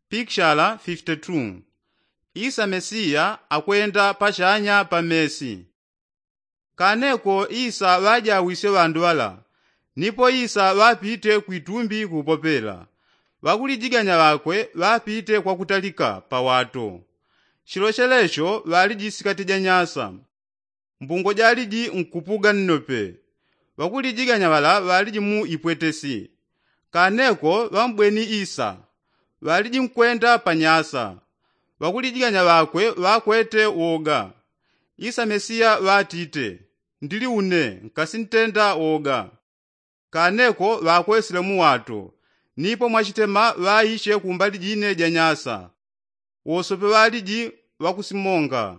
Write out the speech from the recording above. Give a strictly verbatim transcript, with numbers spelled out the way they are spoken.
Pikshala fifite tu. Isa mesiya akwenda pachanya pa mesi. Kaneko isa ŵajawisye ŵandu ŵala. Nipo isa ŵapite kwitumbi kupopela. Ŵakulijiganya ŵakwe ŵapite kwakutalika pawato. Chilo chelecho ŵaliji sikati ja nyasa. Mbungo jaliji nkupuga nnope. Ŵakulijiganya ŵala ŵaliji mu ipwetesi. Kaneko ŵambweni isa. Ŵaliji nkwenda pa nyasa. Ŵakulijiganya ŵakwe ŵakwete woga. Isa mesiya ŵatite, ndili une, nkasintenda woga. Kaneko ŵakwesile muwato. Nipo mwachitema ŵaiche kumbali jine ja nyasa. Wosope ŵaliji ŵakusimonga.